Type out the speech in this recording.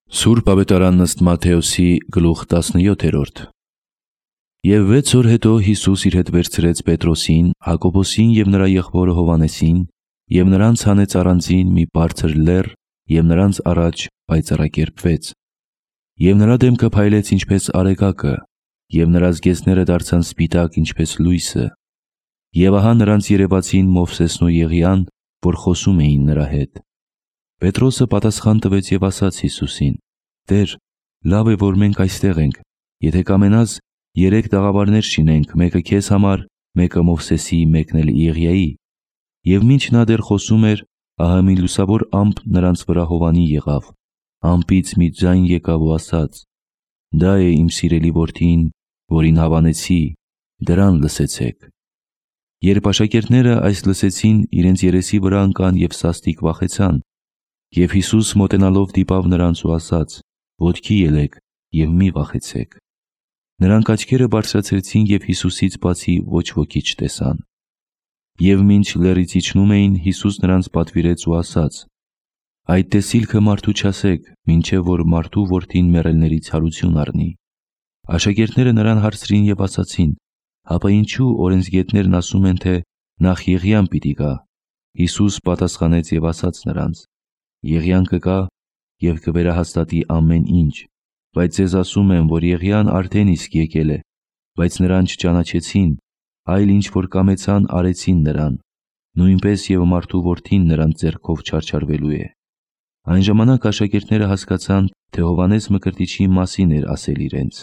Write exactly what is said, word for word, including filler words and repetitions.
Սուրբ Ավետարան ըստ Մատթեոսի գլուխ տասնյոթերորդ։ Եվ վեց օր հետո Հիսուս իր հետ վերցրեց Պետրոսին, Հակոբոսին և նրա եղբորը Հովհաննեսին, և նրանց հանեց առանձին մի բարձր լեռ, և նրանց առաջ պայծառակերպվեց։ Եվ նրա դեմքը փայլեց ինչպես արեգակը, և նրա զգեստները դարձան սպիտակ ինչպես լույսը։ Եվ ահա նրանց երևացին Մովսեսն ու Եղիան, որ խոսում էին նրա հետ։ Պետրոսը պատասխան տվեց և ասաց Հիսուսին. «Տեր, լավ է, որ մենք այստեղ ենք, եթե կամենաս, երեք տաղավարներ շինենք, մեկը քեզ համար, մեկը Մովսեսի, մեկն էլ Եղիայի»։ Եվ մինչ նա դեռ խոսում էր, ահա մի լուսավոր ամպ նրանց վրա հովանի եղավ։ Ամպից մի ձայն եկավ ու ասաց. «Դա է իմ սիրելի որդին, որին հավանեցի, դրան լսեցեք»։ Երբ աշակերտները այս լսեցին, իրենց երեսի վրա ընկան և սաստիկ վախեցան։ Եվ Հիսուս մոտենալով դիպավ նրանց ու ասաց. «Ոտքի ելեք և մի վախեցեք»։ Նրանք աչքերը բարձրացրեցին և Հիսուսից բացի ոչ ոքի չտեսան։ Եվ մինչ լեռից իջնում էին, Հիսուս նրանց պատվիրեց ու ասաց. «Այդ տեսիլքը մարդու չասեք, մինչև որ մարդու որդին մեռելներից հարություն առնի»։ Աշակերտները նրան հարցրին և ասացին. «Հապա ինչու օրենսգետներն ասում են, թե նախ Եղիան պիտի գա»։ Հիսուս պատասխանեց և ասաց նրանց. «Եղիան կգա և կվերահաստատի ամեն ինչ, բայց ձեզ ասում եմ, որ Եղիան արդեն իսկ եկել է, բայց նրան չճանաչեցին, այլ ինչ որ կամեցան, արեցին նրան, նույնպես և մարդու որդին նրանց ձեռքով չարչարվելու է»։ Այն ժամանակ աշակերտները հասկացան, թե Հովհաննես Մկրտիչի մասին էր ասել իրենց։